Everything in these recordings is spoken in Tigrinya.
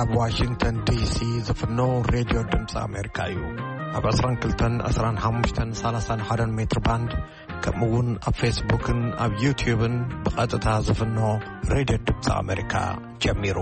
ኣብ ዋሽንግተን ዲሲ ዝፍኖ ሬድዮ ድምፂ ኣሜሪካ እዩ። ኣብ ዕስራን ክልተን፣ ዕስራን ሓሙሽተን፣ ሰላሳን ሓደን ሜትር ባንድ፣ ከምኡ እውን ኣብ ፌስቡክን ኣብ ዩትዩብን ብቐጥታ ዝፍኖ ሬድዮ ድምፂ ኣሜሪካ ጀሚሩ።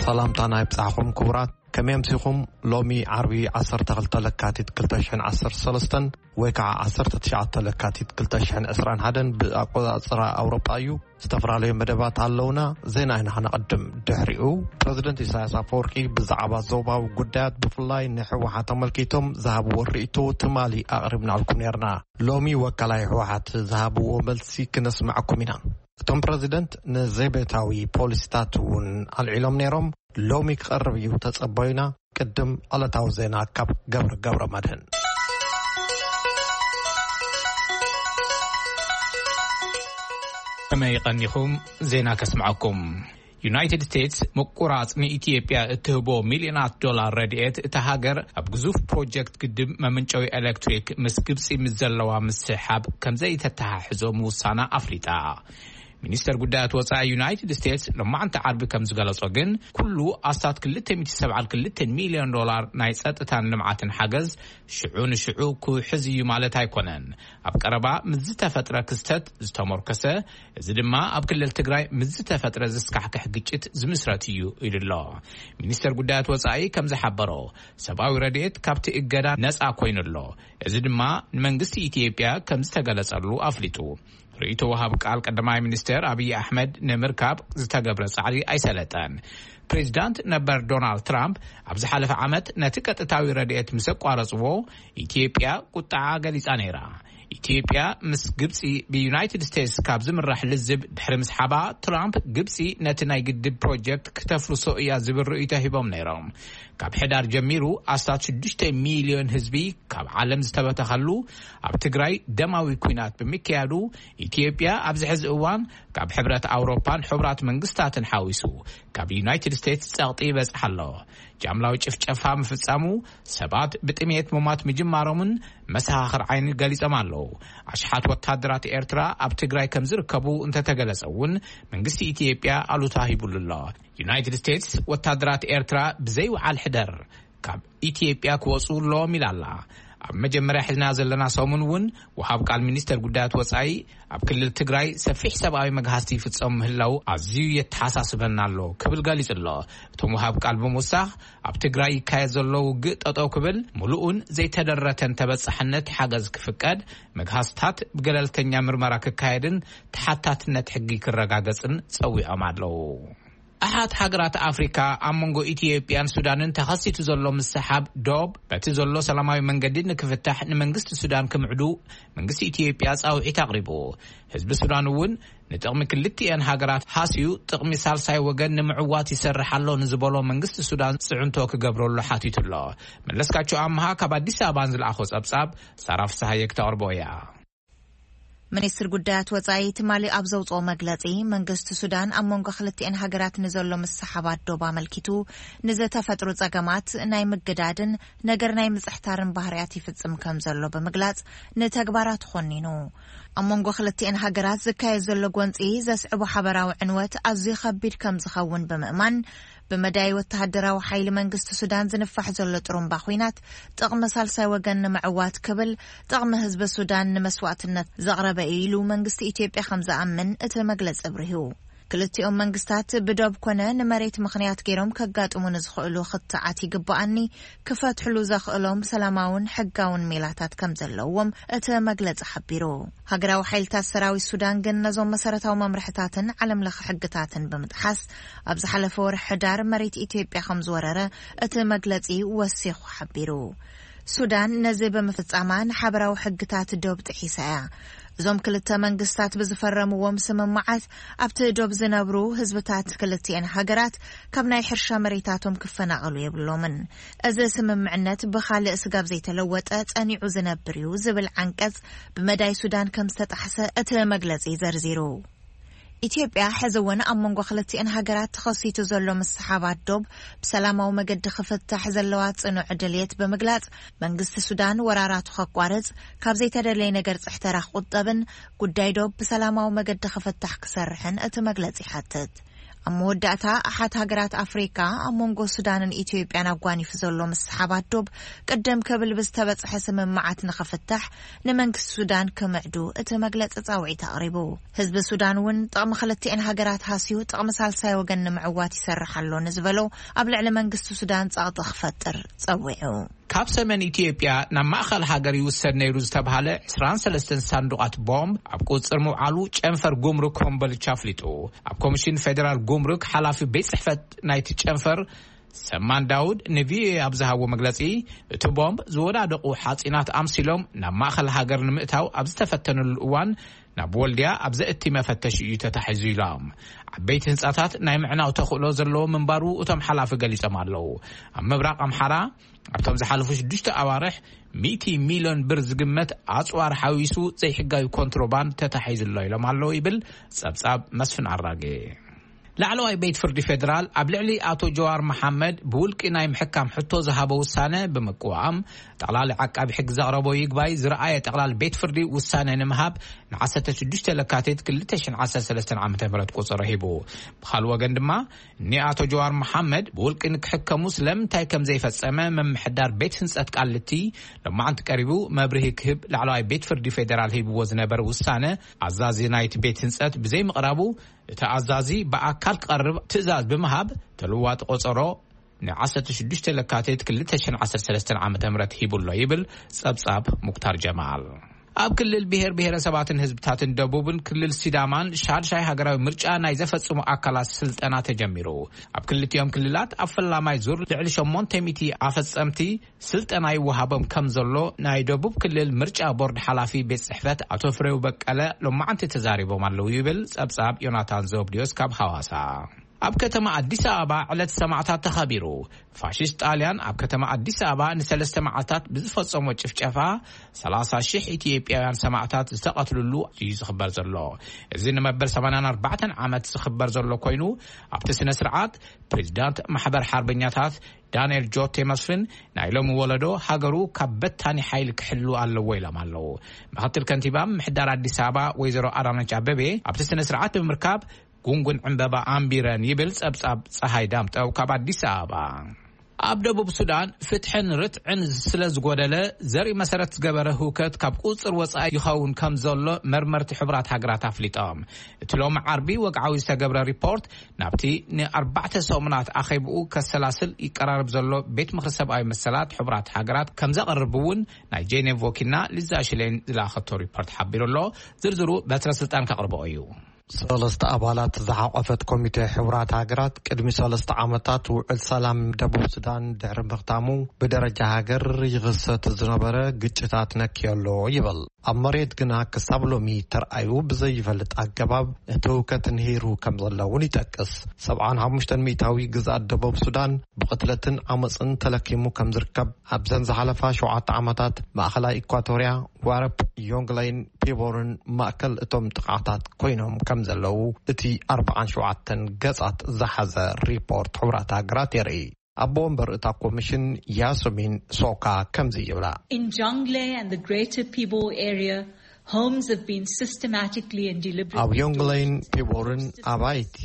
ሰላምታና ይብጻሕኹም ክቡራት። ከመይ ኣምሲኹም? ሎሚ ዓርቢ ዓሰርተ ክልተ ለካቲት ክልተ ሽሕን ዓሰርተ ሰለስተን ወይ ከዓ ዓሰርተ ትሽዓተ ለካቲት ክልተ ሽሕን ዕስራን ሓደን ብኣቆጻጽራ ኣውሮጳ እዩ። ዝተፈላለዩ መደባት ኣለውና። ዜና ኢና ክነቐድም። ድሕሪኡ ፕረዚደንት ኢሳያስ ኣፈወርቂ ብዛዕባ ዞባዊ ጉዳያት ብፍላይ ንህወሓት ተመልኪቶም ዝሃብዎ ርእይቶ ትማሊ ኣቕሪብናልኩም ነርና። ሎሚ ወካላይ ህወሓት ዝሃብዎ መልሲ ክነስምዐኩም ኢና። እቶም ፕረዚደንት ንዘቤታዊ ፖሊሲታት እውን ኣልዒሎም ነይሮም። ሎሚ ክቐርብ እዩ፣ ተጸበዩና። ቅድም ዕለታዊ ዜና ካብ ገብረ ገብረ መድህን። ከመይ ቀኒኹም? ዜና ከስምዐኩም። ዩናይትድ ስቴትስ ምቁራጽ ንኢትዮጵያ እትህቦ ሚልዮናት ዶላር ረድኤት እታ ሃገር ኣብ ግዙፍ ፕሮጀክት ግድብ መመንጨዊ ኤሌክትሪክ ምስ ግብጺ ምስ ዘለዋ ምስሕሓብ ከም ዘይተተሓሕዞ ምውሳና ኣፍሊጣ። ሚኒስተር ጉዳያት ወጻኢ ዩናይትድ ስቴትስ ሎማዕንቲ ዓርቢ ከም ዝገለጾ ግን፣ ኩሉ ኣስታት ክልተ ሚእቲ ሰብዓን ክልተን ሚልዮን ዶላር ናይ ጸጥታን ልምዓትን ሓገዝ ሽዑ ንሽዑ ክውሕዝ እዩ ማለት ኣይኮነን። ኣብ ቀረባ ምስ ዝተፈጥረ ክስተት ዝተሞርከሰ፣ እዚ ድማ ኣብ ክልል ትግራይ ምስ ዝተፈጥረ ዘስካሕክሕ ግጭት ዝምስረት እዩ ኢሉ ኣሎ። ሚኒስተር ጉዳያት ወጻኢ ከም ዝሓበሮ፣ ሰብኣዊ ረድኤት ካብቲ እገዳ ነጻ ኮይኑ ኣሎ። እዚ ድማ ንመንግስቲ ኢትዮጵያ ከም ዝተገለጸሉ ኣፍሊጡ። ርእይቶ ወሃብ ቃል ቀዳማይ ሚኒስትር ኣብይ ኣሕመድ ንምርካብ ዝተገብረ ጻዕሪ ኣይሰለጠን። ፕሬዚዳንት ነበር ዶናልድ ትራምፕ ኣብ ዝሓለፈ ዓመት ነቲ ቀጥታዊ ረድኤት ምስ ኣቋረጽዎ፣ ኢትዮጵያ ቁጥዓ ገሊጻ ነይራ። ኢትዮጵያ ምስ ግብጺ ብዩናይትድ ስቴትስ ካብ ዝምራሕ ልዝብ ድሕሪ ምስሓባ፣ ትራምፕ ግብጺ ነቲ ናይ ግድብ ፕሮጀክት ክተፍርሶ እያ ዝብል ርእይቶ ሂቦም ነይሮም። ካብ ሕዳር ጀሚሩ ኣስታት ሽዱሽተ ሚልዮን ህዝቢ ካብ ዓለም ዝተበተኸሉ፣ ኣብ ትግራይ ደማዊ ኲናት ብምክያዱ፣ ኢትዮጵያ ኣብዚ ሕዚ እዋን ካብ ሕብረት ኣውሮፓን ሕቡራት መንግስታትን ሓዊሱ ካብ ዩናይትድ ስቴትስ ጸቕጢ ይበጽሕ ኣሎ። ጃምላዊ ጭፍጨፋ ምፍጻሙ፣ ሰባት ብጥሜት ምሟት ምጅማሮምን መሰኻኽር ዓይኒ ገሊጾም ኣለዉ። ኣሽሓት ወታደራት ኤርትራ ኣብ ትግራይ ከም ዝርከቡ እንተተገለጸ እውን፣ መንግስቲ ኢትዮጵያ ኣሉታ ሂቡሉ ኣሎ። ዩናይትድ ስቴትስ ወታደራት ኤርትራ ብዘይውዓል ሕደር ካብ ኢትዮጵያ ክወጹ ኣለዎም ኢላ ኣላ። ኣብ መጀመርያ ሒዝና ዘለና ሰሙን እውን ወሃብ ቃል ሚኒስተር ጉዳያት ወጻኢ ኣብ ክልል ትግራይ ሰፊሕ ሰብኣዊ መግሃስቲ ይፍጸሙ ምህላው ኣዝዩ የተሓሳስበና ኣሎ ክብል ገሊጹ ኣሎ። እቶም ወሃብ ቃል ብምውሳኽ፣ ኣብ ትግራይ ይካየድ ዘሎ ውግእ ጠጠው ክብል፣ ምሉእን ዘይተደረተን ተበጻሕነት ሓገዝ ክፍቀድ፣ መግሃስታት ብገለልተኛ ምርመራ ክካየድን ተሓታትነት ሕጊ ክረጋገጽን ጸዊዖም ኣለዉ። ኣሓት ሃገራት ኣፍሪካ ኣብ መንጎ ኢትዮጵያን ሱዳንን ተኸሲቱ ዘሎ ምስሓብ ዶብ በቲ ዘሎ ሰላማዊ መንገዲ ንክፍታሕ ንመንግስቲ ሱዳን ክምዕዱ መንግስቲ ኢትዮጵያ ጻውዒት ኣቕሪቡ። ህዝቢ ሱዳን እውን ንጥቕሚ ክልቲኤን ሃገራት ሃስዩ ጥቕሚ ሳልሳይ ወገን ንምዕዋት ይሰርሕ ኣሎ ንዝበሎ መንግስቲ ሱዳን ጽዕንቶ ክገብረሉ ሓቲቱ ኣሎ። መለስካቸው ኣምሃ ካብ ኣዲስ ኣበባ ንዝለኣኾ ጸብጻብ ሳራ ፍስሃየ ክተቕርቦ እያ። ሚኒስትር ጉዳያት ወጻኢ ትማሊ ኣብ ዘውጽኦ መግለጺ፣ መንግስቲ ሱዳን ኣብ መንጎ ክልቲኤን ሃገራት ንዘሎ ምስሓባት ዶብ ኣመልኪቱ ንዝተፈጥሩ ጸገማት ናይ ምግዳድን ነገር ናይ ምጽሕታርን ባህርያት ይፍጽም ከም ዘሎ ብምግላጽ፣ ንተግባራት ኾኒኑ። ኣብ መንጎ ክልቲኤን ሃገራት ዝካየድ ዘሎ ጎንጺ ዘስዕቦ ሓበራዊ ዕንወት ኣዝዩ ከቢድ ከም ዝኸውን ብምእማን፣ ብመዳይ ወተሃደራዊ ሓይሊ መንግስቲ ሱዳን ዝንፋሕ ዘሎ ጥሩምባ ኹናት፣ ጥቕሚ ሳልሳይ ወገን ንምዕዋት ክብል፣ ጥቕሚ ህዝቢ ሱዳን ንመስዋእትነት ዘቕረበ እዩ ኢሉ መንግስቲ ኢትዮጵያ ከም ዝኣምን እቲ መግለጺ ኣብሪሁ። ክልቲኦም መንግስታት ብዶብ ኮነ ንመሬት ምኽንያት ገይሮም ከጋጥሙ ንዝኽእሉ ክትዓት ይግባኣኒ ክፈትሕሉ ዘኽእሎም ሰላማውን ሕጋውን ሜላታት ከም ዘለዎም እቲ መግለጺ ሓቢሩ። ሃገራዊ ሓይልታት ሰራዊት ሱዳን ግን ነዞም መሰረታዊ መምርሕታትን ዓለም ለኸ ሕግታትን ብምጥሓስ፣ ኣብ ዝሓለፈ ወርሒ ሕዳር መሬት ኢትዮጵያ ከም ዝወረረ እቲ መግለጺ ወሲኹ ሓቢሩ። ሱዳን ነዚ ብምፍጻማ ንሓበራዊ ሕግታት ዶብ ጥሒሳ እያ። እዞም ክልተ መንግስታት ብዝፈረምዎም ስምምዓት፣ ኣብቲ ዶብ ዝነብሩ ህዝብታት ክልቲኤን ሃገራት ካብ ናይ ሕርሻ መሬታቶም ክፈናቐሉ የብሎምን። እዚ ስምምዕነት ብኻልእ ስጋብ ዘይተለወጠ ጸኒዑ ዝነብር እዩ ዝብል ዓንቀጽ ብመዳይ ሱዳን ከም ዝተጣሕሰ እቲ መግለጺ ዘርዚሩ። ኢትዮጵያ ሕዚ እውን ኣብ መንጎ ክልቲኤን ሃገራት ተኸሲቱ ዘሎ ምስሓባት ዶብ ብሰላማዊ መገዲ ክፍታሕ ዘለዋ ጽኑዕ ድልየት ብምግላጽ፣ መንግስቲ ሱዳን ወራራቱ ከቋርጽ፣ ካብ ዘይተደለየ ነገር ጽሕተራ ክቁጠብን ጉዳይ ዶብ ብሰላማዊ መገዲ ክፍታሕ ክሰርሕን እቲ መግለጺ ይሓትት። ኣብ መወዳእታ፣ ኣሓት ሃገራት ኣፍሪካ ኣብ መንጎ ሱዳንን ኢትዮጵያን ኣጓኒፉ ዘሎ ምስሓባት ዶብ ቅድም ክብል ብዝተበጽሐ ስምምዓት ንኽፍታሕ ንመንግስቲ ሱዳን ክምዕዱ እቲ መግለጺ ጻውዒት ኣቕሪቡ። ህዝቢ ሱዳን እውን ጥቕሚ ክልቲኤን ሃገራት ሃስዩ ጥቕሚ ሳልሳይ ወገን ንምዕዋት ይሰርሕ ኣሎ ንዝበሎ ኣብ ልዕሊ መንግስቲ ሱዳን ጸቕጢ ክፈጥር ጸዊዑ። ካብ ሰሜን ኢትዮጵያ ናብ ማእኸል ሃገር ይውሰድ ነይሩ ዝተብሃለ ዕስራን ሰለስተን ሳንዱቓት ቦምብ ኣብ ቁጽር ምውዓሉ ጨንፈር ጉምሩክ ኮምቦልቻ ኣፍሊጡ። ኣብ ኮሚሽን ፌደራል ጉምሩክ ሓላፊ ቤት ጽሕፈት ናይቲ ጨንፈር ሰማን ዳውድ ንቪኦኤ ኣብ ዝሃቦ መግለጺ፣ እቲ ቦምብ ዝወዳደቑ ሓጺናት ኣምሲሎም ናብ ማእኸል ሃገር ንምእታው ኣብ ዝተፈተነሉ እዋን ናብ ወልድያ ኣብ ዘእቲ መፈተሽ እዩ ተታሒዙ ኢሎም። ዓበይቲ ህንጻታት ናይ ምዕናው ተኽእሎ ዘለዎ ምንባሩ እቶም ሓላፊ ገሊጾም ኣለዉ። ኣብ ምብራቕ ኣምሓራ ኣብቶም ዝሓለፉ ሽዱሽተ ኣዋርሕ ሚእቲ ሚልዮን ብር ዝግመት ኣጽዋር ሓዊሱ ዘይሕጋዊ ኮንትሮባንድ ተታሒዙ ኣሎ ኢሎም ኣለዉ ይብል ጸብጻብ መስፍን ኣራጌ። ላዕለዋይ ቤት ፍርዲ ፌደራል ኣብ ልዕሊ ኣቶ ጀዋር መሓመድ ብውልቂ ናይ ምሕካም ሕቶ ዝሃቦ ውሳነ ብምቅዋም፣ ጠቕላሊ ዓቃቢ ሕግ ዘቕረቦ ይግባይ ዝረኣየ ጠቕላሊ ቤት ፍርዲ ውሳነ ንምሃብ ን ዓሰርተ ሽዱሽተ ለካቲት ክልተ ሽሕን ዓሰርተ ሰለስተን ዓመተ ምህረት ቁጽሪ ሂቡ። ብኻልእ ወገን ድማ፣ ንኣቶ ጀዋር መሓመድ ብውልቂ ንክሕከሙ ስለምንታይ ከም ዘይፈጸመ ምምሕዳር ቤት ህንጸት ቃሊቲ ሎማዓንቲ ቀሪቡ መብርሂ ክህብ ላዕለዋይ ቤት ፍርዲ ፌደራል ሂብዎ ዝነበረ ውሳነ ኣዛዚ ናይቲ ቤት ህንጸት ብዘይምቕራቡ፣ እቲ ኣዛዚ ብኣካል ክቐርብ ትእዛዝ ብምሃብ ተለዋጢ ቆጸሮ ን ዓሰርተ ሽዱሽተ ለካቲት ክልተ ሽሕን ዓሰርተ ሰለስተን ዓመተ ምህረት ሂቡ ኣሎ ይብል ጸብጻብ ሙክታር ጀማል። ኣብ ክልል ብሔር ብሔረሰባትን ህዝብታትን ደቡብን ክልል ሲዳማን ሻድሻይ ሃገራዊ ምርጫ ናይ ዘፈጽሙ ኣካላት ስልጠና ተጀሚሩ። ኣብ ክልቲኦም ክልላት ኣብ ፈላማይ ዙር ልዕሊ ሸሞንተ ሚእቲ ኣፈጸምቲ ስልጠና ይወሃቦም ከም ዘሎ ናይ ደቡብ ክልል ምርጫ ቦርድ ሓላፊ ቤት ጽሕፈት ኣቶ ፍሬው በቀለ ሎማዓንቲ ተዛሪቦም ኣለዉ ይብል ጸብጻብ ዮናታን ዘብድዮስ ካብ ሃዋሳ። ኣብ ከተማ ኣዲስ ኣበባ ዕለት ሰማዕታት ተኸቢሩ። ፋሽስት ጣልያን ኣብ ከተማ ኣዲስ ኣበባ ንሰለስተ መዓልታት ብዝፈጸሞ ጭፍጨፋ ሰላሳ ሽሕ ኢትዮጵያውያን ሰማዕታት ዝተቐትልሉ እዩ ዝኽበር ዘሎ። እዚ ንመበል ሰማንያን ኣርባዕተን ዓመት ዝኽበር ዘሎ ኮይኑ፣ ኣብቲ ስነ ስርዓት ፕሬዚዳንት ማሕበር ሓርበኛታት ዳንኤል ጆቴ መስፍን ናይ ሎሚ ወለዶ ሃገሩ ካብ በታኒ ሓይሊ ክሕሉ ኣለዎ ኢሎም ኣለዉ። ምክትል ከንቲባ ምምሕዳር ኣዲስ ኣበባ ወይዘሮ ኣዳነች ኣበቤ ኣብቲ ስነ ስርዓት ብምርካብ ጉንጉን ዕምበባ ኣንቢረን ይብል ጸብጻብ ጸሃይ ዳምጠው ካብ ኣዲስ ኣበባ። ኣብ ደቡብ ሱዳን ፍትሕን ርትዕን ስለ ዝጎደለ፣ ዘርኢ መሰረት ዝገበረ ህውከት ካብ ቁጽር ወጻኢ ይኸውን ከም ዘሎ መርመርቲ ሕቡራት ሃገራት ኣፍሊጦም። እቲ ሎሚ ዓርቢ ወግዓዊ ዝተገብረ ሪፖርት ናብቲ ንኣርባዕተ ሰሙናት ኣኼብኡ ከሰላስል ይቀራረብ ዘሎ ቤት ምኽሪ ሰብኣዊ መሰላት ሕቡራት ሃገራት ከም ዘቕርብ እውን ናይ ጄኔቭ ወኪልና ሊዛ ሽሌን ዝለኣኸቶ ሪፖርት ሓቢሩ ኣሎ። ዝርዝሩ በትረ ስልጣን ከቕርቦ እዩ። ሰለስተ ኣባላት ዝሓቆፈት ኮሚቴ ሕቡራት ሃገራት ቅድሚ ሰለስተ ዓመታት ውዕል ሰላም ደቡብ ሱዳን ድሕሪ ምኽታሙ፣ ብደረጃ ሃገር ይኽሰት ዝነበረ ግጭታት ነክዮ ኣሎ ይብል። ኣብ መሬት ግና ክሳብ ሎሚ ተርኣዩ ብዘይፈልጥ ኣገባብ እቲ ህውከት ንሂሩ ከም ዘሎ እውን ይጠቅስ። ሰብዓን ሓሙሽተን ሚእታዊ ግዝኣት ደቡብ ሱዳን ብቕትለትን ዓመፅን ተለኪሙ ከም ዝርከብ ኣብዘን ዝሓለፋ ሸውዓተ ዓመታት ማእኸላይ ኢኳቶርያ፣ ዋረፕ፣ ዮንግለይን ፒቦርን ማእከል እቶም ጥቕዓታት ኮይኖም ከም ዘለዉ እቲ ኣርባዓን ሸውዓተን ገጻት ዝሓዘ ሪፖርት ሕቡራት ሃገራት የርኢ። ኣቦ ወንበር እታ ኮሚሽን ያስሚን ሶካ ከምዚ ይብላ። In Jonglei and the Greater Pibor area, homes have been systematically and deliberately ኣብ ዮንግለይን ፒቦርን ኣባይቲ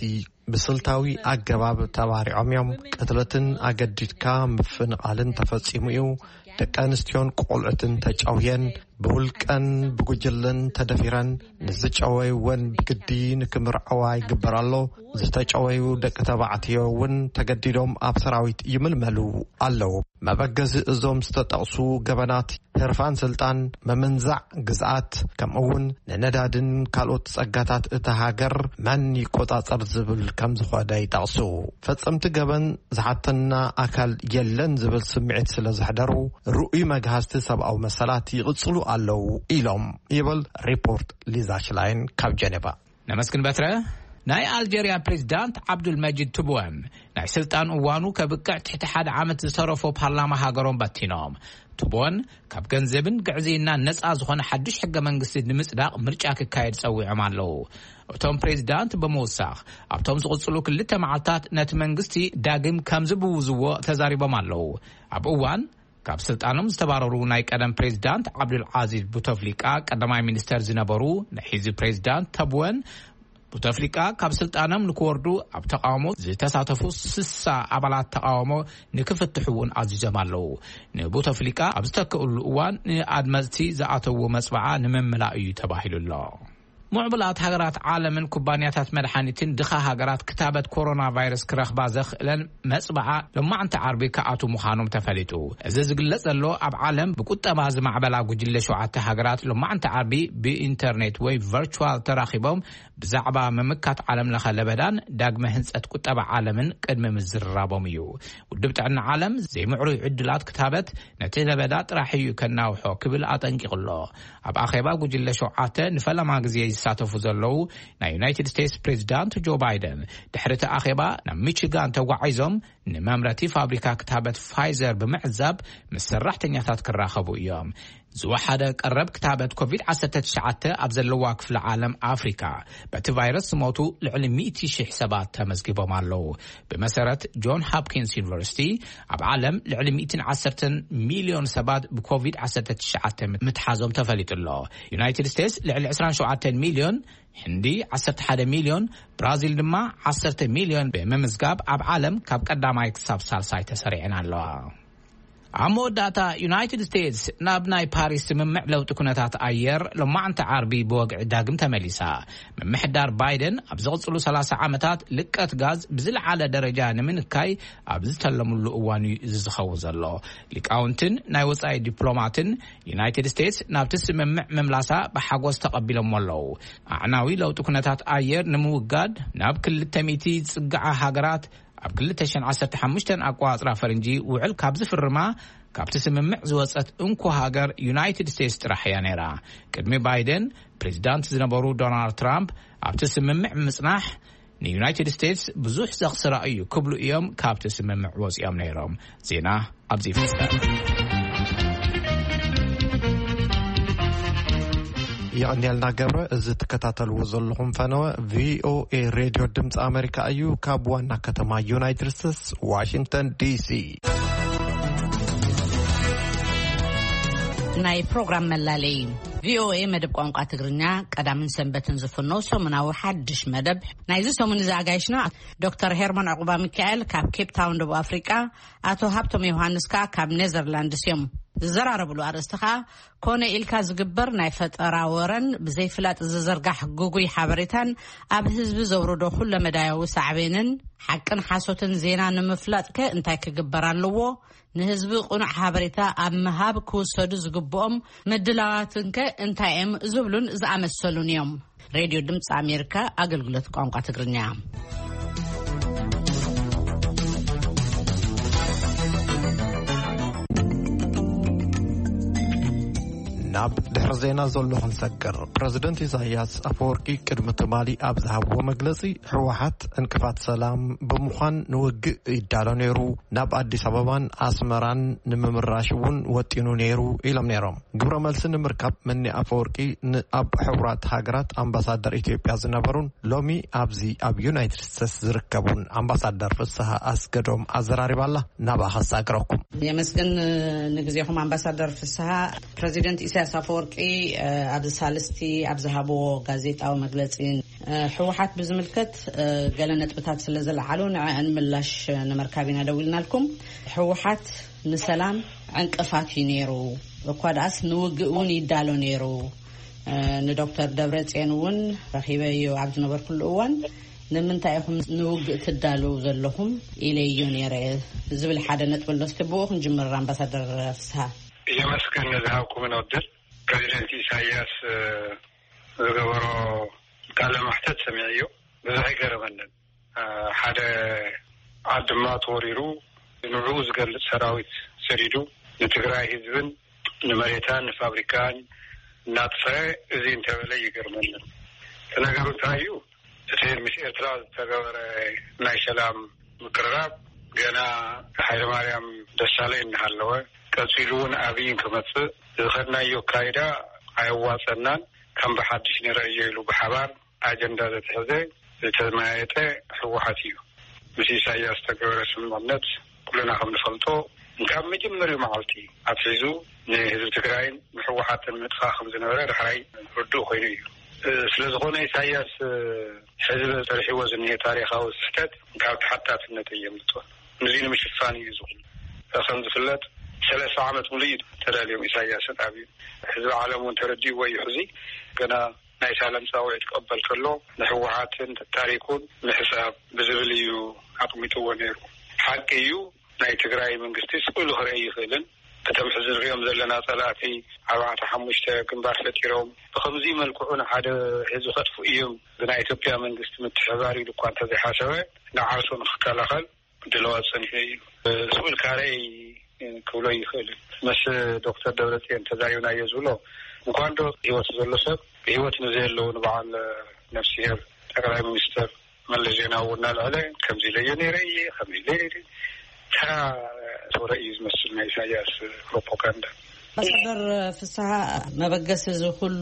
ብስልታዊ ኣገባብ ተባሪዖም እዮም። ቅትለትን ኣገዲድካ ምፍንቓልን ተፈጺሙ እዩ። ደቂ ኣንስትዮን ቆልዑትን ተጨውየን፣ ብውልቀን ብጉጅለን ተደፊረን፣ ንዝጨወይወን ብግዲ ንክምርዐዋ ይግበር ኣሎ። ዝተጨወዩ ደቂ ተባዕትዮ እውን ተገዲዶም ኣብ ሰራዊት ይምልመሉ ኣለዉ። መበገዚ እዞም ዝተጠቕሱ ገበናት ህርፋን ስልጣን፣ ምምንዛዕ ግዝኣት፣ ከምኡ እውን ንነዳድን ካልኦት ጸጋታት እታ ሃገር መን ይቆጻጸር ዝብል ከም ዝኾነ ይጠቕሱ። ፈጸምቲ ገበን ዝሓተና ኣካል የለን ዝብል ስምዒት ስለ ዘሕደሩ፣ ርኡይ መግሃስቲ ሰብኣዊ መሰላት ይቕጽሉ ኣለዉ ኢሎም ይብል ሪፖርት ሊዛ ሽላይን ካብ ጀኔቫ። ነመስግን በትረ። ናይ ኣልጀርያ ፕሬዚዳንት ዓብዱል መጂድ ትቡወን ናይ ስልጣን እዋኑ ከብቅዕ ትሕቲ ሓደ ዓመት ዝተረፎ ፓርላማ ሃገሮም በቲኖም። ትቡወን ካብ ገንዘብን ግዕዝይናን ነጻ ዝኾነ ሓድሽ ሕገ መንግስቲ ንምጽዳቕ ምርጫ ክካየድ ጸዊዖም ኣለዉ። እቶም ፕሬዚዳንት ብምውሳኽ ኣብቶም ዝቕጽሉ ክልተ መዓልታት ነቲ መንግስቲ ዳግም ከም ዝብውዝዎ ተዛሪቦም ኣለዉ። ኣብ እዋን ካብ ስልጣኖም ዝተባረሩ ናይ ቀደም ፕሬዚዳንት ዓብዱል ዓዚዝ ቡተፍሊቃ ቀዳማይ ሚኒስተር ዝነበሩ ናይ ሕዚ ፕሬዚዳንት ተብወን ቡተፍሊቃ ካብ ስልጣኖም ንክወርዱ ኣብ ተቃውሞ ዝተሳተፉ ስሳ ኣባላት ተቃውሞ ንክፍትሑ እውን ኣዚዞም ኣለዉ። ንቡተፍሊቃ ኣብ ዝተክእሉ እዋን ንኣድመፅቲ ዝኣተዉ መፅበዓ ንምምላእ እዩ ተባሂሉ ኣሎ። ምዕቡላት ሃገራት ዓለምን ኩባንያታት መድሓኒትን ድኻ ሃገራት ክታበት ኮሮና ቫይረስ ክረኽባ ዘኽእለን መፅበዓ ሎማዕንቲ ዓርቢ ክኣቱ ምዃኖም ተፈሊጡ። እዚ ዝግለጽ ዘሎ ኣብ ዓለም ብቁጠባ ዝማዕበላ ጉጅለ ሸውዓተ ሃገራት ሎማዕንቲ ዓርቢ ብኢንተርኔት ወይ ቨርቹዋል ተራኺቦም ብዛዕባ ምምካት ዓለም ለኸ ለበዳን ዳግመ ህንጸት ቁጠባ ዓለምን ቅድሚ ምዝርራቦም እዩ። ውድብ ጥዕና ዓለም ዘይምዕሩይ ዕድላት ክታበት ነቲ ለበዳ ጥራሕ እዩ ከናውሖ ክብል ኣጠንቂቑ ኣሎ። ኣብ ኣኼባ ጉጅለ ሸውዓተ ንፈለማ ግዜ ዝሳተፉ ዘለዉ ናይ ዩናይትድ ስቴትስ ፕሬዚዳንት ጆ ባይደን ድሕሪ እቲ ኣኼባ ናብ ሚቺጋን ተጓዒዞም ንመምረቲ ፋብሪካ ክታበት ፋይዘር ብምዕዛብ ምስ ሰራሕተኛታት ክራኸቡ እዮም። ዝወሓደ ቀረብ ክታበት ኮቪድ ዓሰርተ ትሽዓተ ኣብ ዘለዋ ክፍለ ዓለም ኣፍሪካ በቲ ቫይረስ ዝሞቱ ልዕሊ ሚእቲ ሺሕ ሰባት ተመዝጊቦም ኣለዉ። ብመሰረት ጆን ሆፕኪንስ ዩኒቨርሲቲ ኣብ ዓለም ልዕሊ ሚእትን ዓሰርተን ሚልዮን ሰባት ብኮቪድ ዓሰርተ ትሽዓተ ምትሓዞም ተፈሊጡ ኣሎ። ዩናይትድ ስቴትስ ልዕሊ ዕስራን ሸውዓተን ሚልዮን፣ ህንዲ ዓሰርተ ሓደ ሚልዮን፣ ብራዚል ድማ ዓሰርተ ሚልዮን ብምምዝጋብ ኣብ ዓለም ካብ ቀዳማይ ክሳብ ሳልሳይ ተሰሪዐን ኣለዋ። ኣብ መወዳእታ ዩናይትድ ስቴትስ ናብ ናይ ፓሪስ ስምምዕ ለውጢ ኩነታት ኣየር ሎማዕንቲ ዓርቢ ብወግዒ ዳግም ተመሊሳ። ምምሕዳር ባይደን ኣብ ዝቕጽሉ ሰላሳ ዓመታት ልቀት ጋዝ ብዝለዓለ ደረጃ ንምንካይ ኣብ ዝተለምሉ እዋን እዩ እዚ ዝኸውን ዘሎ። ሊቃውንትን ናይ ወጻኢ ዲፕሎማትን ዩናይትድ ስቴትስ ናብቲ ስምምዕ ምምላሳ ብሓጎስ ተቐቢሎሞ ኣለዉ። ኣዕናዊ ለውጢ ኩነታት ኣየር ንምውጋድ ናብ ክልተ ሚእቲ ዝጽግዓ ሃገራት ኣብ ክልተ ሽሕን ዓሰርተ ሓሙሽተን ኣቋጽራ ፈረንጂ ውዕል ካብ ዝፍርማ ካብቲ ስምምዕ ዝወጸት እንኮ ሃገር ዩናይትድ ስቴትስ ጥራሕ እያ ነይራ። ቅድሚ ባይደን ፕሬዚዳንት ዝነበሩ ዶናልድ ትራምፕ ኣብቲ ስምምዕ ምጽናሕ ንዩናይትድ ስቴትስ ብዙሕ ዘኽስራ እዩ ክብሉ እዮም ካብቲ ስምምዕ ወጺኦም ነይሮም። ዜና ኣብዚ ይፍጸም። የቐንየልና ገብረ። እዚ ትከታተልዎ ዘለኹም ፈነወ ቪኦኤ ሬድዮ ድምፂ ኣሜሪካ እዩ። ካብ ዋና ከተማ ዩናይትድ ስቴትስ ዋሽንግተን ዲሲ። ናይ ፕሮግራም መላለይ ቪኦኤ መደብ ቋንቋ ትግርኛ ቀዳምን ሰንበትን ዝፍኖ ሰሙናዊ ሓድሽ መደብ ናይዚ ሰሙን እዚ ኣጋይሽና ዶክተር ሄርሞን ዕቑባ ሚካኤል ካብ ኬፕ ታውን ደቡብ ኣፍሪቃ፣ ኣቶ ሃብቶም ዮሃንስ ከኣ ካብ ኔዘርላንድስ እዮም። ዝዘራረብሉ ኣርእስቲ ከኣ ኮነ ኢልካ ዝግበር ናይ ፈጠራ ወረን ብዘይፍላጥ ዝዝርጋሕ ግጉይ ሓበሬታን ኣብ ህዝቢ ዘውርዶ ኩለመዳያዊ ሳዕቤንን ሓቅን ሓሶትን ዜና ንምፍላጥከ እንታይ ክግበር ኣለዎ? ንህዝቢ ቅኑዕ ሓበሬታ ኣብ ምሃብ ክውሰዱ ዝግብኦም ምድላዋትንከ እንታይ እዮም? ዝብሉን ዝኣመሰሉን እዮም። ሬድዮ ድምፂ ኣሜሪካ ኣገልግሎት ቋንቋ ትግርኛ። ናብ ድሕሪ ዜና ዘሎ ክንሰግር። ፕረዚደንት ኢሳያስ ኣፈወርቂ ቅድሚ ትማሊ ኣብ ዝሃብዎ መግለጺ፣ ህወሓት ዕንቅፋት ሰላም ብምዃን ንውግእ ይዳሎ ነይሩ፣ ናብ ኣዲስ ኣበባን ኣስመራን ንምምራሽ እውን ወጢኑ ነይሩ ኢሎም ነይሮም። ግብረ መልሲ ንምርካብ መኒ ኣፈወርቂ ንኣብ ሕቡራት ሃገራት ኣምባሳደር ኢትዮጵያ ዝነበሩን ሎሚ ኣብዚ ኣብ ዩናይትድ ስቴትስ ዝርከቡን ኣምባሳደር ፍስሃ ኣስገዶም ኣዘራሪባላ። ናብኣ ከሳግረኩም። የመስግን ንግዜኹም ኣምባሳደር ፍስሃ። ፕረዚደንት ኢሳያስ ኣፈወርቂ፣ እ፣ ኣብዚ ሳልስቲ ኣብ ዝሃብዎ ጋዜጣዊ መግለጺ፣ እ፣ ህወሓት ብዝምልከት፣ እ፣ ገለ ነጥብታት ስለ ዝለዓሉ ንዕአን ምላሽ ንምርካብ ኢና ደዊልናልኩም። ህወሓት ንሰላም ዕንቅፋት እዩ ነይሩ፣ እኳ ደኣስ ንውግእ እውን ይዳሎ ነይሩ። እ፣ ንዶክተር ደብረጽዮን እውን ረኺበዮ ኣብ ዝነበርኩሉ እዋን፣ "ንምንታይ ኢኹም ንውግእ ትዳለዉ ዘለኹም?" ኢለዮ ነይረ ዝብል ሓደ ነጥቢ ኣሎ። እስከ ብኡ ክንጅምር ኣምባሳደር ፍስሃ። የመስግን ንዝሃብኩምን ዕድል። ፕሬዚደንት ኢሳያስ፣ እ፣ ዝገበሮ ቃለ መሕተት ሰሚዐዮ። ብዙሕ ኣይገረመንን። እ፣ ሓደ ዓድማ ተወሪሩ ንዕኡ ዝገልጽ ሰራዊት ሰዲዱ ንትግራይ ህዝብን ንመሬታን ንፋብሪካን እናጥፈአ እዚ እንተበለ ይገርመንን። እቲ ነገሩ እንታይ እዩ? እቲ ምስ ኤርትራ ዝተገበረ ናይ ሰላም ምቅርራብ ገና ሃይለማርያም ደሳለኝ እናሃለወ፣ ቀጺሉ እውን ኣብይ ክመጽእ ዝኸድናዮ ኣካይዳ ኣየዋጸናን፣ ከም ብሓድሽ ንረእዮ ኢሉ ብሓባር ኣጀንዳ ዘትሐዘ ዝተመያየጠ ህወሓት እዩ። ምስ ኢሳያስ ዝተገበረ ስምምዕነት ኩልና ከም ንፈልጦ፣ ካብ መጀመሪያው መዓልቲ ኣትሒዙ ንህዝቢ ትግራይን ንህወሓትን ምጥፋእ ከም ዝነበረ ዳሕራይ ርዱእ ኮይኑ እዩ። እ፣ ስለ ዝኾነ ኢሳያስ፣ እ፣ ሕዚ በዝተርሕዎ ዝኒሀ ታሪኻዊ ስሕተት ካብ ተሓታትነት እየምልጦ። ንዚ ንምሽፋን እዩ ዝኹን። ከም ዝፍለጥ፣ ሰለስተ ዓመት ሙሉ እዩ ተዳልዮም ኢሳያስን ኣብዩ። ህዝቢ ዓለም እውን ተረዲእዎ እዩ። ሕዚ ገና ናይ ሳለም ጻውዒት ክቕበል ከሎ፣ ንህወሓትን ታሪኩን ምሕሳብ ብዝብል እዩ ኣቕሚጥዎ ነይሩ። ሓቂ እዩ፣ ናይ ትግራይ መንግስቲ ስቕ ኢሉ ክረኢ ይኽእልን፣ እቶም ሕዚ ንሪኦም ዘለና ጸላእቲ ኣርባዕተ ሓሙሽተ ግንባር ፈጢሮም ብኸምዚ መልክዑ ንሓደ ህዝቢ ከጥፍኡ እዮም፣ ብናይ ኢትዮጵያ መንግስቲ ምትሕብባር ኢሉ እኳ እንተዘይሓሰበ፣ ንዓርሱ ንክከላኸል ድለዋ ጸኒሑ እዩ። ስቕ ኢልካ ረኣይ ክብሎ ይኽእል። ምስ ዶክተር ደብረጽዮን ተዛሪብናዮ ዝብሎ፣ እንኳን ዶ ህይወት ዘሎ ሰብ፣ ብህይወት ንዘየለዉ ንበዓል ነፍስሄር ጠቅላይ ሚኒስትር መለስ ዜናዊ እውን እናልዐለ፣ ከምዚ ኢለዮ ነይረ እየ፣ ከምዚ ኢለ ነይረ፣ ተራ ወረ እዩ ዝመስል ናይ ኢሳያስ ፕሮፓጋንዳ። ኣምባሳደር ፍስሃ፣ መበገሲ እዚ ኩሉ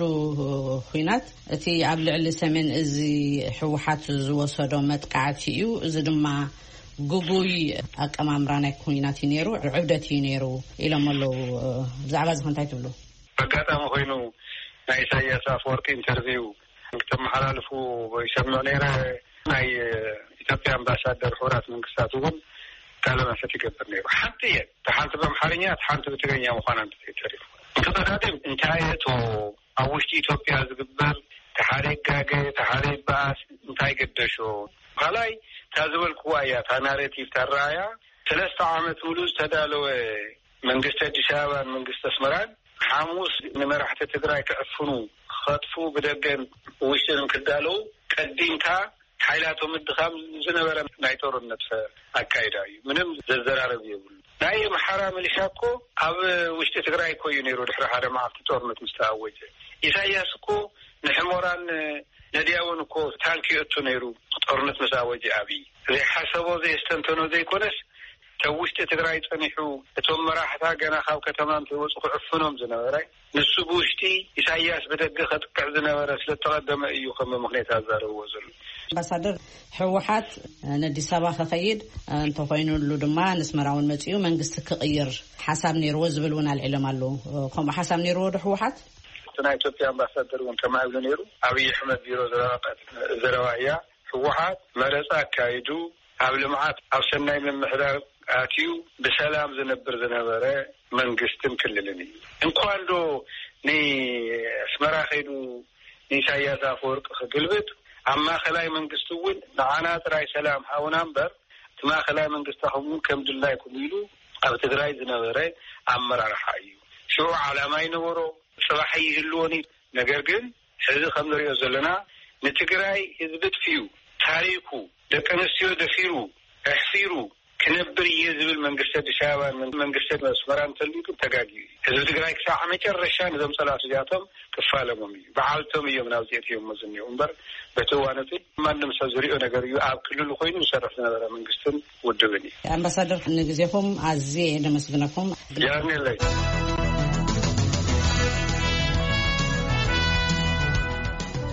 ኩናት፣ እቲ ኣብ ልዕሊ ሰሜን እዚ ህወሓት ዝወሰዶ መጥቃዕቲ እዩ። እዚ ድማ ግጉይ ኣቀማምራ ናይ ኩናት እዩ ነይሩ፣ ዕብደት እዩ ነይሩ ኢሎም ኣለዉ። ብዛዕባ እዚ ከ እንታይ ትብሉ? ኣጋጣሚ ኮይኑ ናይ ኢሳያስ ኣፈወርቂ ኢንተርቪው ክተመሓላልፉ ይሰምዕ ነይረ። ናይ ኢትዮጵያ ኣምባሳደር ሕቡራት መንግስታት እውን ቃለ መሕትት ይገብር ነይሩ። ሓንቲ እየ፣ እታ ሓንቲ ብኣምሓርኛ፣ እታ ሓንቲ ብትግርኛ ምዃና እንተዘይተሪፉ። እንተቐዳድም እንታይ እቶ ኣብ ውሽጢ ኢትዮጵያ ዝግበር፣ ተሓደ ይጋገ፣ ተሓደ ይበኣስ፣ እንታይ ገደሾ? ካልኣይ፣ እታ ዝበልክዋ እያ፣ እታ ናሬቲቭ፣ እታ ረኣያ፣ ሰለስተ ዓመት ሙሉ ዝተዳለወ መንግስቲ ኣዲስ ኣበባን መንግስቲ ኣስመራን ሓሙስ ንመራሕቲ ትግራይ ክዕፍኑ፣ ክኸጥፉ፣ ብደገን ውሽጥን ክዳለዉ ቀዲምካ ሓይላቶም ምድኻም ዝነበረ ናይ ጦርነት ኣካይዳ እዩ። ምንም ዘዘራረብ የብሉ። ናይ ኣምሓራ ሚሊሻ እኮ ኣብ ውሽጢ ትግራይ እኮ እዩ ነይሩ ድሕሪ ሓደ መዓልቲ ጦርነት ምስ ተኣወጀ። ኢሳያስ እኮ ንሕሞራን ነድያውን እኮ ታንክ የእቱ ነይሩ ጦርነት ምስ ኣወጀ ኣብይ። ዘይሓሰቦ ዘየስተንተኖ ዘይኮነስ፣ እቶም ውሽጢ ትግራይ ጸኒሑ፣ እቶም መራሕታ ገና ካብ ከተማ እንተይወጹ ክዕፍኖም ዝነበረ፣ ንሱ ብውሽጢ ኢሳያስ ብደገ ከጥቅዕ ዝነበረ ስለ እተቐደመ እዩ ከም ምኽንያት ኣዛረብዎ ዘሎ። ኣምባሳደር፣ ህወሓት ነዲስ ኣበባ ክኸይድ እንተኾይኑሉ ድማ ንስመራ እውን መጺኡ መንግስቲ ክቕይር ሓሳብ ነይርዎ ዝብል እውን ኣልዒሎም ኣለዉ። ከምኡ ሓሳብ ነይርዎ ዶ ህወሓት? እቲ ናይ ኢትዮጵያ ኣምባሳደር እውን ከምኣ ይብሉ ነይሩ። ኣብይ ኣሕመድ ቢሮ ዘረባ ቀ-፣ ዘረባ እያ። ህወሓት መረፃ ኣካይዱ ኣብ ልምዓት፣ ኣብ ሰናይ ምምሕዳር ኣትዩ ብሰላም ዝነብር ዝነበረ መንግስትን ክልልን እዩ። እንኳን ዶ ንኣስመራ ከይዱ ንኢሳያስ ኣፈወርቂ ክግልብጥ፣ ኣብ ማእኸላይ መንግስቲ እውን ንዓና ጥራይ ሰላም ሃቡና እምበር፣ እቲ ማእኸላይ መንግስታኹም እውን ከም ድላይኩም ኢሉ ኣብ ትግራይ ዝነበረ ኣመራርሓ እዩ። ሽዑ ዓላማ ይነበሮ፣ ጽባሕ ይህልዎን እዩ። ነገር ግን ሕዚ ከም ንሪኦ ዘለና፣ ንትግራይ ህዝቢ ጥፊኡ፣ ታሪኩ፣ ደቂ ኣንስትዮ ደፊሩ፣ ኣሕፊሩ ክነብር እየ ዝብል መንግስቲ ኣዲስ ኣበባን መንግስቲ ኣስመራን እንተልዩ ግን ተጋግዩ እዩ። ህዝቢ ትግራይ ክሳዕ መጨረሻ ነዞም ጸላእቲ እዚኣቶም ክፋለሞም እዩ። በዓልቶም እዮም ናብዚ ኣእትዮሞ ዝኒኦ እምበር፣ በቲ እዋን እቲ ማንም ሰብ ዝሪኦ ነገር እዩ። ኣብ ክልሉ ኮይኑ ዝሰርሕ ዝነበረ መንግስትን ውድብን እዩ። ኣምባሳደር፣ ንግዜኹም ኣዝየ እየ ደመስግነኩም። የቐንየለይ።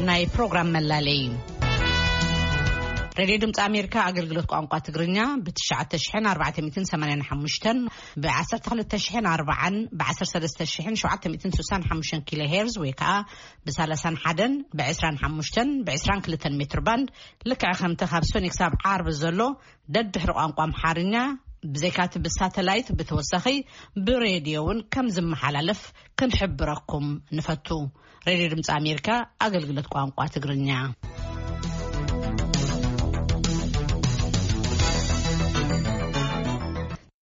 ናይ ፕሮግራም መላለይ። ሬድዮ ድምፂ ኣሜሪካ ኣገልግሎት ቋንቋ ትግርኛ ብ ትሽዓተ ሽሕን ኣርባዕተ ሚእትን ሰማንያን ሓሙሽተን፣ ብ ዓሰርተ ክልተ ሽሕን ኣርባዓን፣ ብ ዓሰርተ ሰለስተ ሽሕን ሸውዓተ ሚእትን ስሳን ሓሙሽተን ኪሎ ሄርዝ ወይ ከዓ ብ ሰላሳን ሓደን፣ ብ ዕስራን ሓሙሽተን፣ ብ ዕስራን ክልተን ሜትር ባንድ፣ ልክዕ ከምቲ ካብ ሰኑይ ክሳብ ዓርቢ ዘሎ ደድሕሪ ቋንቋ ኣምሓርኛ፣ ብዘይካቲ ብሳተላይት ብተወሳኺ ብሬድዮ እውን ከም ዝመሓላለፍ ክንሕብረኩም ንፈቱ። ሬድዮ ድምፂ ኣሜሪካ ኣገልግሎት ቋንቋ ትግርኛ።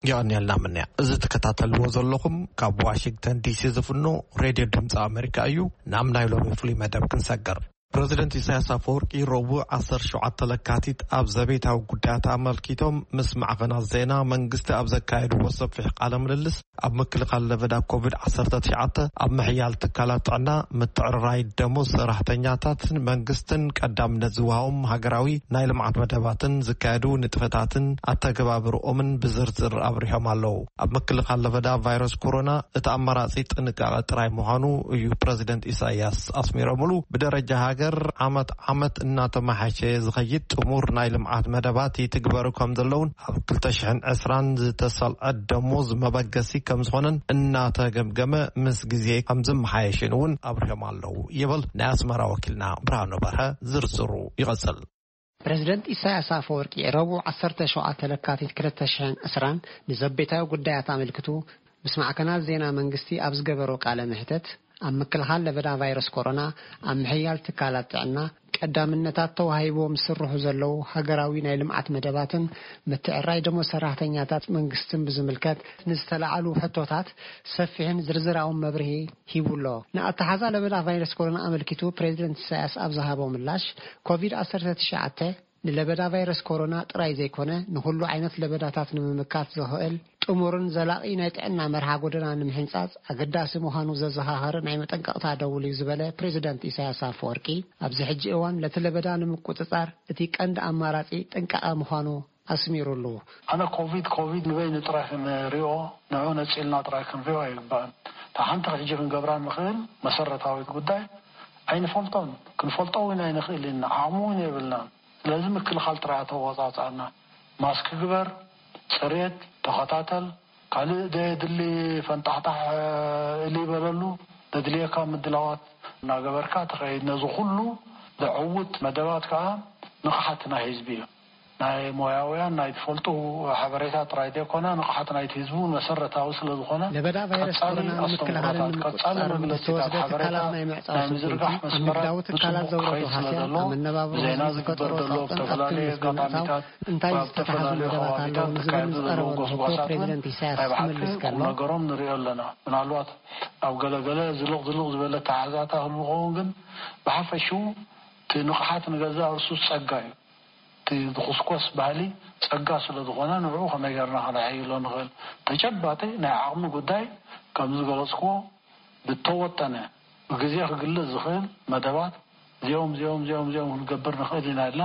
የቐንየልና ምንያ። እዚ ትከታተልዎ ዘለኹም ካብ ዋሽንግተን ዲሲ ዝፍኖ ሬድዮ ድምፂ ኣሜሪካ እዩ። ናብ ናይ ሎሚ ፍሉይ መደብ ክንሰግር። ፕረዚደንት ኢሳያስ ኣፈወርቂ ረቡዕ ዓሰርተ ሸውዓተ ለካቲት ኣብ ዘቤታዊ ጉዳያት ኣመልኪቶም ምስ ማዕኸናት ዜና መንግስቲ ኣብ ዘካየድዎ ሰፊሕ ቃለ ምልልስ፣ ኣብ ምክልኻል ለበዳ ኮቪድ ዓሰርተ ትሽዓተ፣ ኣብ ምሕያል ትካላት ጥዕና፣ ምትዕርራይ ደሞዝ ሰራሕተኛታትን መንግስትን ቀዳምነት ዝወሃቦም ሃገራዊ ናይ ልምዓት መደባትን ዝካየዱ ንጥፈታትን ኣተገባብርኦምን ብዝርዝር ኣብሪሆም ኣለዉ። ኣብ ምክልኻል ለበዳ ቫይረስ ኮሮና እቲ ኣማራጺ ጥንቃቐ ጥራይ ምዃኑ እዩ ፕረዚደንት ኢሳያስ ኣስሚሮምሉ። ብደረጃ ሃገር ዓመት ዓመት እናተመሓሸ ዝኸይድ ጥሙር ናይ ልምዓት መደባት ይትግበሩ ከም ዘለውን ኣብ ክልተ ሽሕን ዕስራን ዝተሰልዐ ደሞዝ መበገሲ ከም ዝኾነን እናተገምገመ ምስ ግዜ ከም ዝመሓየሽን እውን ኣብሪሆም ኣለዉ ይብል ናይ ኣስመራ ወኪልና ብርሃኑ በርሀ። ዝርዝሩ ይቐጽል። ፕረዚደንት ኢሳያስ ኣፈወርቂ ረቡዕ ዓሰርተ ሸውዓተ ለካቲት ክልተ ሽሕን ዕስራን ንዘቤታዊ ጉዳያት ኣመልክቱ ምስ ማዕከናት ዜና መንግስቲ ኣብ ዝገበሮ ቃለ መሕተት፣ ኣብ ምክልኻል ለበዳ ቫይረስ ኮሮና፣ ኣብ ምሕያል ትካላት ጥዕና ቀዳምነታት ተዋሂቦም ዝስርሑ ዘለዉ ሃገራዊ ናይ ልምዓት መደባትን ምትዕራይ ደሞዝ ሰራሕተኛታት መንግስትን ብዝምልከት ንዝተላዓሉ ሕቶታት ሰፊሕን ዝርዝራውን መብርሂ ሂቡ ኣሎ። ንኣተሓዛ ለበዳ ቫይረስ ኮሮና ኣመልኪቱ ፕሬዚደንት ኢሳያስ ኣብ ዝሃቦ ምላሽ፣ ኮቪድ ዓሰርተ ትሽዓተ ንለበዳ ቫይረስ ኮሮና ጥራይ ዘይኮነ፣ ንኹሉ ዓይነት ለበዳታት ንምምካት ዘኽእል ጥሙርን ዘላቒ ናይ ጥዕና መርሃ ጎደና ንምሕንጻጽ ኣገዳሲ ምዃኑ ዘዘኻኸረ ናይ መጠንቀቕታ ደውል እዩ ዝበለ ፕሬዚደንት ኢሳያስ ኣፈወርቂ፣ ኣብዚ ሕጂ እዋን ነቲ ለበዳ ንምቁጽጻር እቲ ቀንዲ ኣማራጺ ጥንቃቐ ምዃኑ ኣስሚሩሉ። ኣነ ኮቪድ ኮቪድ ንበይኑ ጥራይ ክንሪኦ፣ ንዑ ነጺልና ጥራይ ክንሪኦ ኣይግባእን። እታ ሓንቲ ሕጂ ክንገብራ ንኽእል መሰረታዊት ጉዳይ ኣይንፈልጦን። ክንፈልጦ እውን ኣይንኽእል ኢና። ዓቕሙ እውን የብልናን። ስለዚ ምክልኻል ጥራይ ኣተዋጻጽኣና። ማስክ ግበር፣ ጽሬት ተኸታተል፣ ካልእ ዘየድሊ ፈንጣሕጣሕ እሊ በለሉ፣ ዘድልየካ ምድላዋት እናገበርካ ትኸይድ። ነዚ ኩሉ ዘዕውት መደባት ከኣ ንቕሓት ናይ ህዝቢ እዩ። ናይ ሞያውያን ናይ ትፈልጡ ሓበሬታ ጥራይ ዘይኮነ፣ ንቕሓት ናይቲ ህዝቢ እውን መሰረታዊ ስለ ዝኾነ፣ ለበዳ ቫይረስ ቀጻሊ ኮሮና ንምክልኻልን ኣስተምህሮታት፣ ቀጻሊ ንምቁጽጻርን መግለጺታት፣ ዝተወስደ ሓበሬታ ትካላት ናይ ናይ ምዕጻው ምዝርጋሕ ስጉምቲ፣ ኣብ መስመራት ንግዳዊ ትካላት ንትኹኽ ዘውረዶ ከይድ ስለ ሃስያ፣ ዘሎ፣ ኣብ መነባብሮ ብዜና ህዝቢ ዝግበር ፈጠሮ ዘሎ ጻውጽን ኣብ ትብሊ መብዛሕትኡ ዝተታሕዙ መደባት ኣለዉ ንዝብል ዝቐረበሉ ሕቶ ፕሬዚደንት ኢሳያስ ክምልስ ከሎ፣ ቁም ነገሮም ንሪኦ ኣለና። ምናልባት ኣብ ገለገለ ዝልቕ ዝልቕ ዝበለ ኣተሓሕዛታት ክህሉ ክኸውን፣ ግን ብሓፈሽኡ እቲ ንቕሓት ንገዛእ ርእሱ ጸጋ እዩ። እቲ ዝኹስኮስ ባህሊ ጸጋ ስለ ዝኾነ፣ ንዕኡ ከመይ ጌርና ከነዕይሎ ንኽእል? ተጨባጢ ናይ ዓቕሚ ጉዳይ ከም ዝገለጽክዎ፣ ብተወጠነ ብግዜ ክግለጽ ዝኽእል መደባት እዚኦም፣ እዚኦም፣ እዚኦም፣ እዚኦም ክንገብር ንኽእል ኢና ኢልና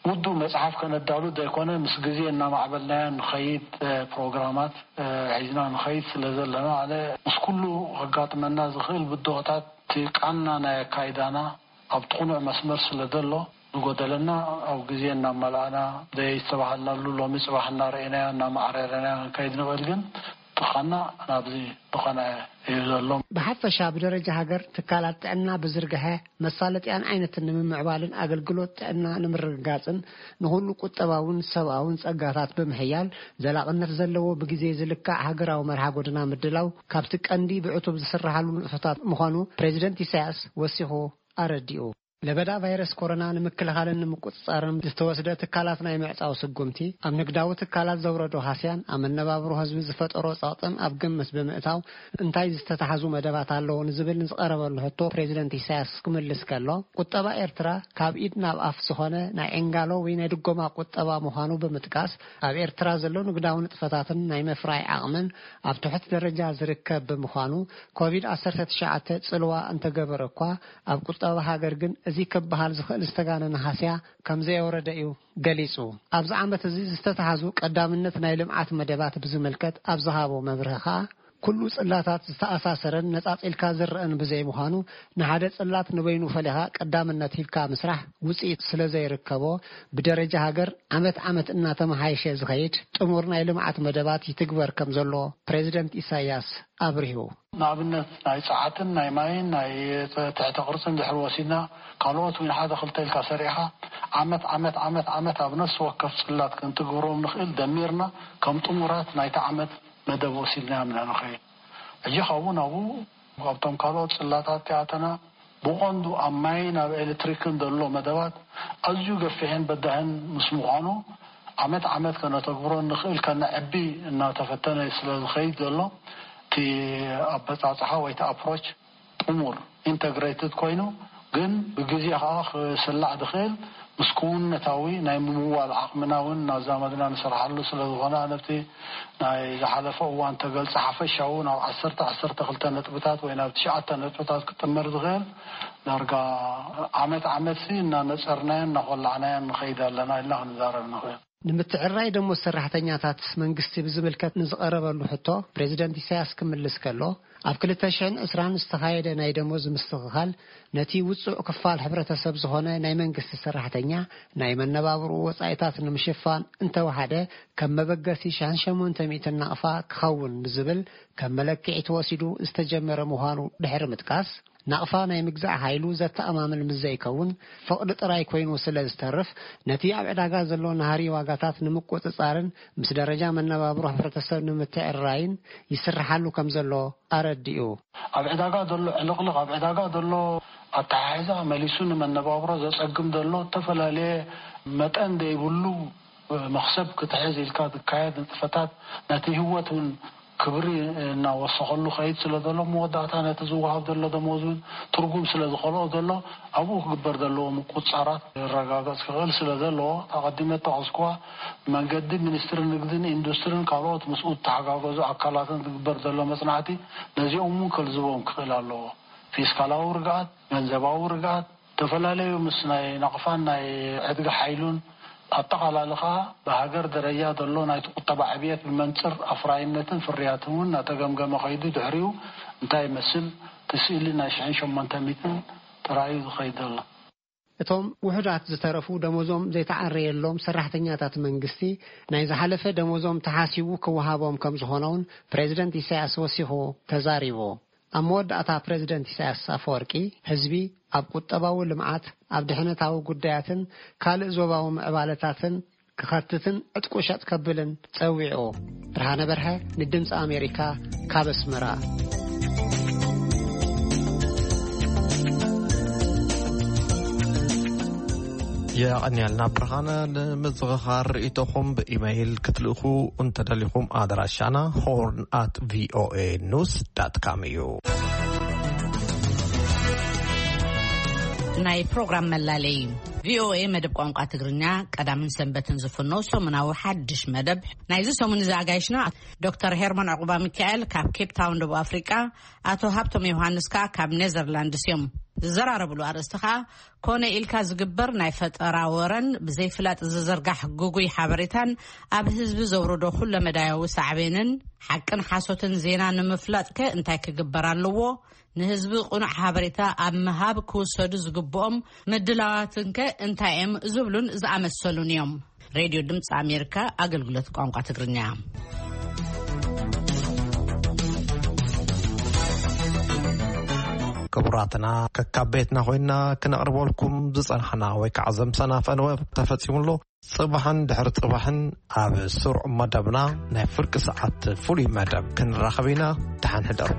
ውዱእ መጽሓፍ ከነዳሉ ዘይኮነ፣ ምስ ግዜ እናማዕበልናዮ ንኸይድ፣ እ፣ ፕሮግራማት፣ እ፣ ሒዝና ንኸይድ ስለ ዘለና፣ ኣነ ምስ ኩሉ ከጋጥመና ዝኽእል ብድሆታት እቲ ቃና ናይ ኣካይዳና ኣብቲ ቅኑዕ መስመር ስለ ዘሎ፣ ዝጎደለና ኣብ ግዜ እናመልኣና፣ ዘየስተባሃልናሉ ሎሚ ጽባሕ እናረኣናዮ፣ እናማዕረርናዮ ክንከይድ ንኽእል፣ ግን እቲ ቃና ናብዚ ዝኾነ እዩ ዘሎ። ብሓፈሻ ብደረጃ ሃገር ትካላት ጥዕና ብዝርግሐ መሳለጥያን ዓይነትን ንምምዕባልን ኣገልግሎት ጥዕና ንምርግጋጽን ንኹሉ ቁጠባውን ሰብኣውን ጸጋታት ብምሕያል ዘላቕነት ዘለዎ ብግዜ ዝልካዕ ሃገራዊ መርሃ ጎደና ምድላው ካብቲ ቀንዲ ብዕቱብ ዝስርሓሉ ንጥፈታት ምዃኑ ፕሬዚደንት ኢሳያስ ወሲኹ ኣረዲኡ። ለበዳ ቫይረስ ኮሮና ንምክልኻልን ንምቁጽጻርን ዝተወስደ ትካላት ናይ ምዕጻው ስጉምቲ፣ ኣብ ንግዳዊ ትካላት ዘውረዶ ሃስያን ኣብ መነባብሮ ህዝቢ ዝፈጠሮ ጸቕጥን ኣብ ግምት ብምእታው፣ እንታይ ዝተታሕዙ መደባት ኣለዉ ንዝብል ንዝቐረበሉ ሕቶ ፕሬዚደንት ኢሳያስ ክምልስ ከሎ፣ ቁጠባ ኤርትራ ካብ ኢድ ናብ ኣፍ ዝኾነ ናይ ዕንጋሎ ወይ ናይ ድጎማ ቁጠባ ምዃኑ ብምጥቃስ፣ ኣብ ኤርትራ ዘሎ ንግዳዊ ንጥፈታትን ናይ ምፍራይ ዓቕምን ኣብ ትሑት ደረጃ ዝርከብ ብምዃኑ፣ ኮቪድ ዓሰርተ ትሽዓተ ጽልዋ እንተገበረ እኳ፣ ኣብ ቁጠባ ሃገር ግን እዚ ክበሃል ዝኽእል ዝተጋነነ ሃስያ ከም ዘየውረደ እዩ ገሊጹ። ኣብዚ ዓመት እዚ ዝተታሕዙ ቀዳምነት ናይ ልምዓት መደባት ብዝምልከት ኣብ ዝሃቦ መብርሂ ከኣ፣ ኩሉ ጽላታት ዝተኣሳሰረን ነጻጺልካ ዝረኣን ብዘይምዃኑ፣ ንሓደ ጽላት ንበይኑ ፈሊኻ ቀዳምነት ሂብካ ምስራሕ ውጽኢት ስለ ዘይርከቦ፣ ብደረጃ ሃገር ዓመት ዓመት እናተመሓየሸ ዝኸይድ ጥሙር ናይ ልምዓት መደባት ይትግበር ከም ዘሎ ፕሬዚደንት ኢሳያስ ኣብሪሁ። ንኣብነት ናይ ጸዓትን ናይ ማይን ናይ ትሕተ ቅርጽን ድሕሪ ወሲድና፣ ካልኦት እውን ሓደ ክልተ ኢልካ ሰሪዕኻ ዓመት ዓመት ዓመት ዓመት ኣብ ነፍሲ ወከፍ ጽላት ክንትግብሮም ንኽእል ደሚርና ከም ጥሙራት ናይቲ ዓመት መደብ ወሲድናዮም ኢና ንኸይድ። ሕጂ ካብኡ ናብኡ ኣብቶም ካልኦት ጽላታት ከኣተና፣ ብቐንዱ ኣብ ማይን ኣብ ኤሌክትሪክን ዘሎ መደባት ኣዝዩ ገፊሕን በዳህን ምስ ምዃኑ፣ ዓመት ዓመት ከነተግብሮ ንኽእል ከነዕቢ እናተፈተነ ስለ ዝኸይድ ዘሎ፣ እቲ ኣበጻጽሓ ወይ እቲ ኣፕሮች ጥሙር፣ ኢንተግሬትድ ኮይኑ፣ ግን ብግዜ ከዓ ክስላዕ ዝኽእል ምስ ክውንነታዊ ናይ ምምዋል ዓቕምና እውን እናዛመድና ንሰርሓሉ ስለ ዝኾነ፣ ኣነ ኣብቲ ናይ ዝሓለፈ እዋን ተገልጸ ሓፈሻዊ ናብ ዓሰርተ ዓሰርተ ክልተ ነጥብታት ወይ ናብ ትሽዓተ ነጥብታት ክጥመር ዝኽእል ዳርጋ ዓመት ዓመት ሲ እናነጸርናዮን እናኾላዕናዮን ንኸይድ ኣለና ኢልና ክንዛረብ ንኽእል። ንምትዕራይ ደሞዝ ሰራሕተኛታት መንግስቲ ብዝምልከት ንዝቐረበሉ ሕቶ ፕሬዚደንት ኢሳያስ ክምልስ ከሎ፣ ኣብ ክልተ ሽሕን ዕስራን ዝተኻየደ ናይ ደሞዝ ምስትኽኻል ነቲ ውጹዕ ክፋል ሕብረተሰብ ዝኾነ ናይ መንግስቲ ሰራሕተኛ ናይ መነባብርኡ ወጻኢታት ንምሽፋን እንተወሓደ ከም መበገሲ ሸሕን ሸሞንተ ሚእትን ናቕፋ ክኸውን ብዝብል ከም መለክዒ ተወሲዱ ዝተጀመረ ምዃኑ ድሕሪ ምጥቃስ፣ ናቕፋ ናይ ምግዛእ ሓይሉ ዘተኣማምን ምስ ዘይከውን፣ ፍቕዲ ጥራይ ኮይኑ ስለ ዝተርፍ፣ ነቲ ኣብ ዕዳጋ ዘሎ ናህሪ ዋጋታት ንምቁጽጻርን ምስ ደረጃ መነባብሮ ሕብረተሰብ ንምትዕርራይን ይስርሓሉ ከም ዘሎ ኣረዲኡ። ኣብ ዕዳጋ ዘሎ ዕልቕልቕ፣ ኣብ ዕዳጋ ዘሎ ኣተሓሕዛ መሊሱ ንመነባብሮ ዘጸግም ዘሎ እተፈላለየ መጠን ዘይብሉ መኽሰብ ክትሕዝ ኢልካ ዝካየድ ንጥፈታት ነቲ ህይወት እውን ክብሪ እናወሰኸሉ ከይድ ስለ ዘሎ፣ መወዳእታ ነቲ ዝወሃብ ዘሎ ደሞዝ እውን ትርጉም ስለ ዝኸልኦ ዘሎ፣ ኣብኡ ክግበር ዘለዎ ምቁጽጻራት ክረጋገጽ ክኽእል ስለ ዘለዎ፣ ኣቐዲመ ጠቐስኩዋ መንገዲ ሚኒስትሪ ንግድን ኢንዱስትሪን ካልኦት ምስኡ ዝተሓጋገዙ ኣካላትን ዝግበር ዘሎ መጽናዕቲ ነዚኦም እውን ከልዝቦም ክኽእል ኣለዎ። ፊስካላዊ ርግኣት፣ ገንዘባዊ ርግኣት፣ ዝተፈላለዩ ምስ ናይ ናቕፋን ናይ ዕድጊ ሓይሉን ኣጠቓላሊ ኸኣ ብሃገር ደረጃ ዘሎ ናይቲ ቁጠባ ዕብየት ብመንጽር ኣፍራይነትን ፍርያትን እውን እናተገምገመ ከይዱ ድሕሪኡ እንታይ ይመስል እቲ ስእሊ ናይ ሽሕን ሸሞንተ ሚእትን ጥራዩ ዝኸይድ ዘሎ። እቶም ውሑዳት ዝተረፉ ደሞዞም ዘይተዓረየሎም ሰራሕተኛታት መንግስቲ ናይ ዝሓለፈ ደሞዞም ተሓሲቡ ክወሃቦም ከም ዝኾነ እውን ፕሬዚደንት ኢሳያስ ወሲኹ ተዛሪቡ። ኣብ መወዳእታ ፕሬዚደንት ኢሳያስ ኣፈወርቂ ህዝቢ ኣብ ቁጠባዊ ልምዓት፣ ኣብ ድሕነታዊ ጉዳያትን ካልእ ዞባዊ ምዕባለታትን ክኸትትን ዕጥቁ ሸጥ ከብልን ጸዊዑ። ብርሃነ በርሀ ንድምፂ ኣሜሪካ ካብ ኣስመራ። የቐንያልና ብርሃነ። ንምዝኽኻር ርእይቶኹም ብኢመይል ክትልእኹ እንተደሊኹም ኣድራሻና ሆርን ኣት ቪኦኤ ኒውስ ዳት ካም እዩ። ናይ ፕሮግራም መላለይ። ቪኦኤ መደብ ቋንቋ ትግርኛ ቀዳምን ሰንበትን ዝፍኖ ሰሙናዊ ሓድሽ መደብ ናይዚ ሰሙን እዚ ኣጋይሽና ዶክተር ሄርሞን ዕቑባ ሚካኤል ካብ ኬፕ ታውን ደቡብ ኣፍሪቃ፣ ኣቶ ሃብቶም ዮሃንስ ከኣ ካብ ኔዘርላንድስ እዮም። ዝዘራረብሉ ኣርእስቲ ከኣ ኮነ ኢልካ ዝግበር ናይ ፈጠራ ወረን ብዘይፍላጥ ዝዝርጋሕ ግጉይ ሓበሬታን ኣብ ህዝቢ ዘውርዶ ኩለመዳያዊ ሳዕቤንን ሓቅን ሓሶትን ዜና ንምፍላጥከ እንታይ ክግበር ኣለዎ? ንህዝቢ ቅኑዕ ሓበሬታ ኣብ ምሃብ ክውሰዱ ዝግብኦም ምድላዋትንከ እንታይ እዮም? ዝብሉን ዝኣመሰሉን እዮም። ሬድዮ ድምፂ ኣሜሪካ ኣገልግሎት ቋንቋ ትግርኛ። ክቡራትና፣ ከካብ ቤትና ኮይና ክነቕርበልኩም ዝጸናሕና ወይ ከዓ ዘምሰና ፈነወ ተፈጺሙ ኣሎ። ጽባሕን ድሕሪ ጽባሕን ኣብ ስሩዕ መደብና ናይ ፍርቂ ሰዓት ፍሉይ መደብ ክንራኸብ ኢና። ደሓን ሕደሩ።